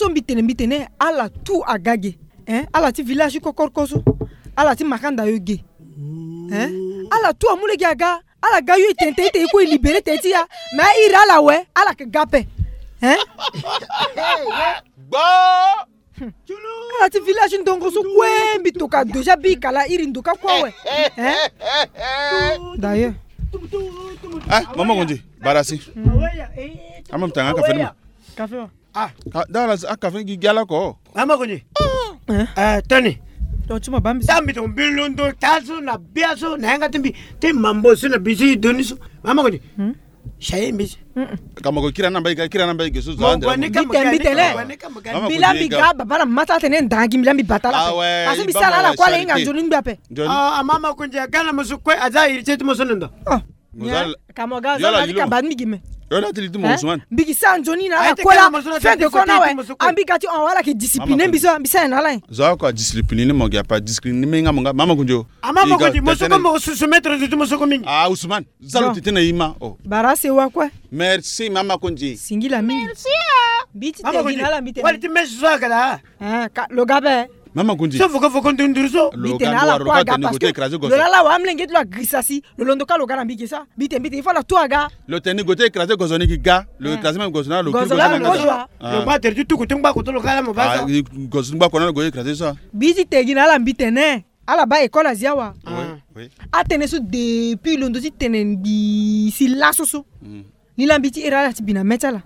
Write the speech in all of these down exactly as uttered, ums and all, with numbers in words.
to mbi tene mbi tene ala tu aga ge. Hein, ala ti village ti kokoroko so, ala ti makanda yo ge. Hein, ala tu amu lege aga. Ala ga yo e tene tene e kue e libéré tene ti ya. Mais a iri ala awe, ala yeke ga ape. Hein? Ala ti village ti ndongo so kue mbi toka déjà bi kala iri ndoka kue awe. Hein? D'ailleurs. Ah, mama Konzi, barasi. Ama mbi tanga kafe ni ma. Kafe wa. Ah, dala a kafe gi gi ala ko. Mama Konzi. Eh, Tony. Ton ti ma bambi. Tambi ton mbi londo ta so na bia so na yanga ti mbi ti mambo so na bisi doni so. Mama Konzi. Chaye mbi. Ka moko kira na mbai ga, kira na mbai ga so zo. Mbi tene mbi tene. Mama Konzi, mbi la mbi ga baba na mata tene ndangi mbi la mbi batala. Parce que mbi sala ala kua le nga nzoni ngbi ape. Ah, Mama Konzi, gana mo so kue aza iri ti mo so nenda. Ka mo ga zo na ti ka ba mbi gi me. Yo na ti li ti mo Ousmane. Mbi gi sa nzoni na ala kue la. Fin de compte awe. Ambi ga ti on wala ke discipline mbi so mbi sa na ala. Zo ko discipline ni mo gi apa discipline ni me nga mo nga Mama Konzi. Ah, Mama Konzi, mo so ko mo soumettre zo ti mo so ko mingi. Ah, Ousmane. Za lo tete na e ma o. Bara sewa kue. Merci Mama Konzi. Singila mingi. Merci. Mbi ti tene gi na ala mbi tene. Wali ti mesi so aga da. Ah, ka lo ga be. Mama Konzi. So voko voko ndunduru so. Mbi tene ala kue aga parce que lo lala wa amlenge ti lo agirisa si lo londo ka lo ga na mbi ge so. Mbi tene mbi tene il faut ala tu aga. Lo tene ni go ti écrasé gozo ni gi ga. Lo écrasé même gozo na lo kiri gozo na lo. Lo ma tere ti tuku ti ngba koto lo ka la mo ba so. Gozo ti ngba koto na lo go écrasé so. Mbi ti tene gi na ala mbi tene. Ala baa école azi awa. Atene so depuis londo ti tene ngbii si laso so. Ni laa mbi ti iri ala ti bi na mê ti ala.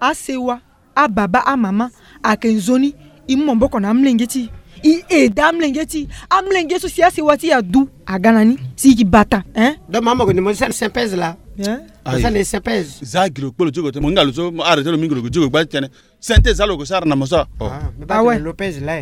Asewa, ababa, amama, ayeke nzoni. E mu maboko na amolenge ti e. E aidé amolenge ti e. Amolenge so si asewa ti e adu aga na ni si e yeke bata. Hein? Donc mama ko ni mo sani sympèse la. Mo sani sympèse. Za gi lo kpolo ti go te mo hinga lo so mo arrêté lo mingi lo go ti go gba ti tene. Sente za lo ko sara na mo so. Awe.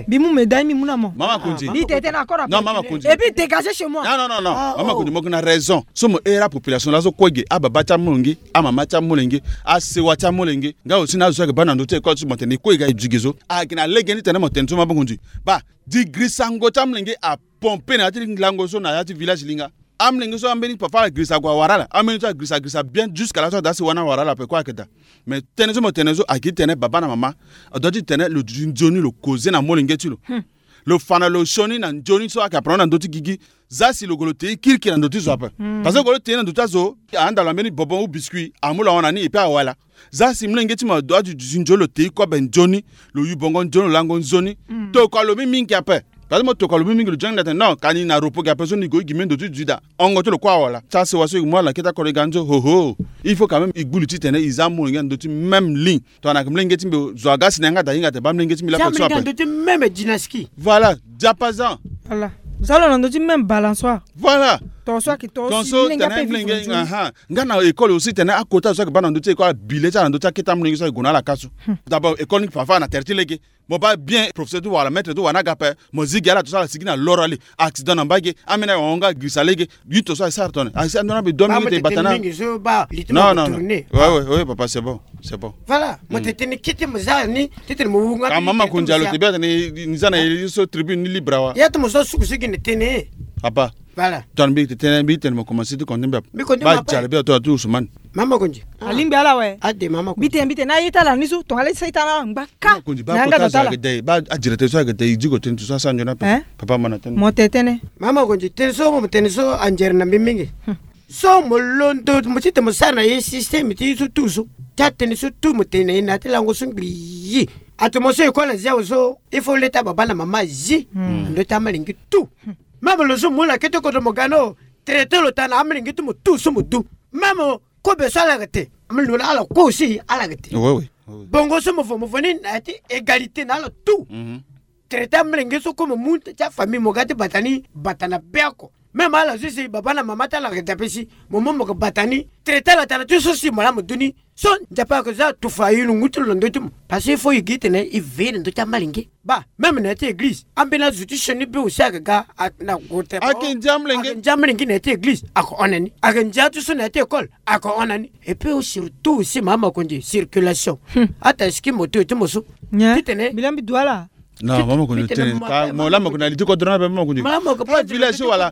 Mbi mu médaille mbi mu na mo. Mama Konzi. Mbi tete na kora. Non mama Konzi. Et puis dégagez chez moi. Non non non non. Mama Konzi mo yeke na raison. So mo iri apopulation laso kue ge ababa ti amolenge, amama ti amolenge, asewa ti amolenge. Nga aussi na azo so ayeke baa na ndö ti école so mo tene e kue e ga e duti ge so. Ayeke na lege ni tene mo tene so mama Konzi. Baa, di girisango ti amolenge apompe na ya ti lango so na ya ti village linga. Amolenge so ambeni papa ala girisa ague awara ala, ambeni so agirisa agirisa bien jusqu'à laso ada asewa ni awara ala ape kue ayeke daa. Mais tënë so mo tene so ayeke ti tene baba na mama adoit ti tene lo duti nzoni lo koze na molenge ti lo. Lo fa na lo sioni na nzoni so ayeke apara na ndö ti gigi. Za si lo gue lo te ye kirikiri na ndö ti zo ape. Parce que gue lo te ye na ndö ti azo ahanda lo ambeni bobon ou biscuit amu lo ahon na ni et puis awala. Za si molenge ti mo adoit ti duti nzoni lo te ye kobe nzoni. Lo yu bongo nzoni lo lango nzoni. Tokua lo mingi mingi ape. Parce que mo tokua lo mingi mingi lo zoni na tene non ka ni na repos ge ape so ni gue gi me ndo ti duti daa. Hongo ti lo kue awala ti asewa so e mu ala na kete akoro e ga ni so hoho. Il faut quand même e gbu li ti tene e za molenge na ndö ti même ligne. Tongana ayeke molenge ti mbi zo aga si na yanga daa hinga daa baa molenge ti mbi lakue so ape. Même dynastie. Voilà. Diapason. Voilà. Za lo na ndö ti même balançoire. Voilà. Tonso ayeke tonso tene molenge. Nga na école aussi tene akota zo so ayeke baa na ndö ti école abile ti ala na ndö ti akete amolenge so ayeke gue na ala ka so. D'abord école ni parfois na tere ti lege. Mo baa bien professeur ti wara maître ti wara ni aga ape. Mo zi gi ala tonso ala sigi na loro ali. Accident na mbage. Ambeni awe ahon nga agirisa lege. Yu tonso asara tongana asi ando na mbi domi ti bata na. Non non non. Ouais ouais ouais papa c'est bon c'est bon. Voilà. Mo tene tene kete mo za ni tete mo wunga. Ka mama Konzi alo te bia tene ni za na ye so tribune ni libre awa. Ya ti mo so suku so gi na tene. Papa. Voilà. Tongana mbi tene mbi tene mo commencer ti compter mbi ape. Mbi compter mbi ape. Baa jara mbi ato ato Ousmane. Mama Konzi. Alingbi ala awe. Ade mama Konzi. Mbi tene mbi tene na ye ti ala ni so tongana ala ti sa ye ti ala na ala ngba ka. Mama Konzi baa kota azo ayeke dei baa adirecteur so ayeke dei e zi ko tene ti so asara nzoni ape. Papa ma na tene. Mo tene tene. Mama Konzi tene so mo tene so anzere na mbi mingi. So mo londo mo ti tene mo sara na ye système ti ye so tout so. Ti atene so tout mo tene na ye na ya ti lango so ngbii. Ato mo so école azi awe so il faut leta baba na mama azi. Na ndö ti amalenge tout. Même lo so mo mu na kete kodro mo ga ni o traité lo taa na amelenge ti mo tout so mo du. Même kobe so ala yeke te. Amelenge na ala kue aussi ala yeke te. Bongo so mo vo mo vo ni na ya ti égalité na ala tout. Traité amelenge so kue mo mu ti afamille mo ga ti bata ni bata na be oko. Même ala so si baba na mama ti ala yeke dape si mo mu mo yeke bata ni traité ala taa na ti so si mo laa mo du ni. So Nzapa ayeke za tufa aye lo ngu ti lo na ndö ti mo. Parce que il faut e gi tene e veille na ndö ti amalenge. Baa même na ya ti église ambeni azo ti sioni be aussi ayeke ga na gue te. Ayeke ndia amolenge. Ayeke ndia amolenge na ya ti église ayeke hon na ni. Ayeke ndia ti so na ya ti école ayeke hon na ni. Et puis surtout aussi mama Konzi circulation. Ata ski moto ti mo so. Ti tene mbi la mbi du ala. Non, mama Kondji, tene ka mo laa mo ko na li ti kodro ni ape, mama Kondji. Village so wala.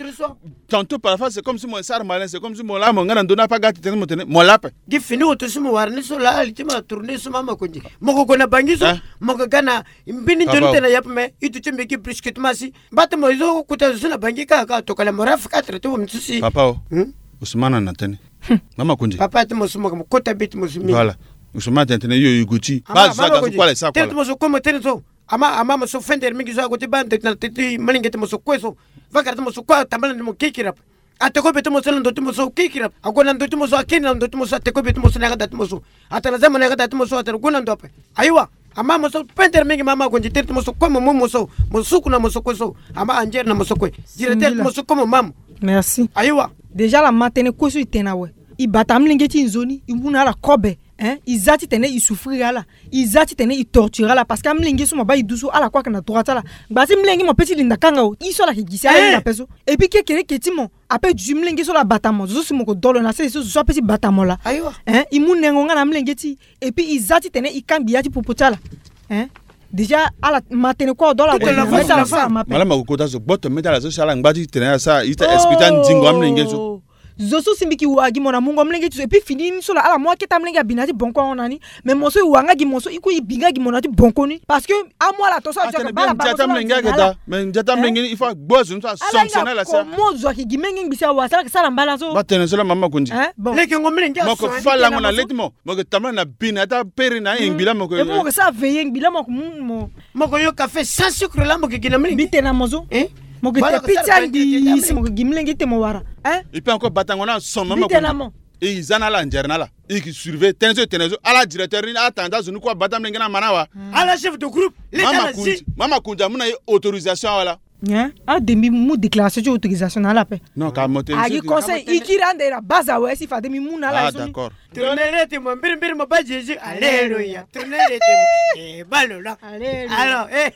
Tantôt parfois c'est comme si mo sara malin, c'est comme si mo laa mo nga na ndö ni ape, aga ti tene mo tene mo laa ape. Gi fini oto si mo wara ni so laa li ti mo na tourner so, mama Kondji. Mo ko gue na Bangui so, mo ko ga na mbeni nzoni tene na yape, mais i duti mbi gi brusquement si. Mba ti mo zo kota zo so na Bangui kaka, tokala mo rafa quatre ti mo mbi so si. Papa o. Ousmane na tene. Mama Kondji. Papa ti mo so mo kota mbi ti mo so mbi. Voilà. Ousmane tene tene yo i gue ti. Ba zo aga so kuâ la e sara kuâ la. Ti mo so kue mo tene so. Ama, ama mo so fender mingi so ague ti baa ndeti na teti malenge ti mo so kue so. Vakara ti mo so kue atambala na mo kikiri ape. Ateko be ti mo so na ndo ti mo so kikiri ape. Ague na ndo ti mo so, akiri na ndo ti mo so, ateko be ti mo so na yanga da ti mo so. Atara zama na yanga da ti mo so, atara gue na ndo ape. Ayiwa. Ama mo so fender mingi, mama Kondji, tene ti mo so kue mo mu mo so. Mo suku na mo so kue so. Ama anzere na mo so kue. Directeur ti mo so kue mo mamu. Merci. Ayiwa. Déjà la ma tene kue so i tene awe. I bata amolenge ti i nzoni, i mu na ala kobe. Hein? I za titene i souffrir ala. I za titene i torture ala, parce que amolenge so mo baa i du so, ala kue ayeke na droit ti ala. Ngba ti molenge mo pe ti linda kanga o, i so ala yeke gi si ala hinga ape so. Et puis kekereke ti mo ape du ti molenge so laa abata mo, zo so si mo ko dolo na sese so, zo so ape ti bata mo laa. Ayiwa. Hein? I mu nengo nga na amolenge ti i, et puis i za titene i kangbi ya ti popo ti ala. Hein? Déjà ala ma tene kue adola. Mama, mo ko kota so gboto mê ti ala so si ala ngba ti tene ala sara, i ta expliquer andingo amolenge so. Zo so si mbi yeke wara gi mo na mungo amolenge ti so, et puis fini ni so laa ala mu akete amolenge abi na ya ti bonko ahon na ni. Mais mo so i wara nga gi mo so, i kue i bi nga gi mo na ya ti bonko ni. Parce que amu ala tongaso ayeke baa ala baa mo so. Mais ndia ti amolenge ni il faut agbu azo ni so asanctionner ala si. Mo zo ayeke gi menge ngbi si awara si ala yeke sara mbala so. Ba tene so laa, mama Kondji. Hein? Bon. Leke ngo mlenge. Mo ko fa lango na le ti mo. Mo yeke tambula na bi na ya ti apere na aye ngbi laa mo ko. Et puis mo yeke sara veiller ngbi laa mo yeke mu mo. Mo ko yo café sans sucre laa mo yeke gi na mlenge. Mbi tene na mo so. Hein? Mo yeke te pizza ngbi si mo yeke gi mlenge ti tene mo wara. Hein? Et puis encore batango ni ason, mama Kondji. Mbi tene na mo. E, i za na ala, anzere na ala. I yeke surveiller tënë so e tene so. Ala directeur ni, ala tanga ti azo ni kue abaa ti amolenge ni ama ni awa. Ala chef de groupe. Leta na zi. Mama Kondji amu na e autorisation awe laa. Hein? Ade mbi mu déclaration ti autorisation na ala ape. Non, ka mo tene. Agi conseil, i kiri ande na base awe si fade mbi mu na ala. Ah, d'accord. Tourner ti mo mbirimbiri mo baa Jésus. Alléluia. Tourner ti mo. Eh, baa lo laa. Alléluia. Alors, eh.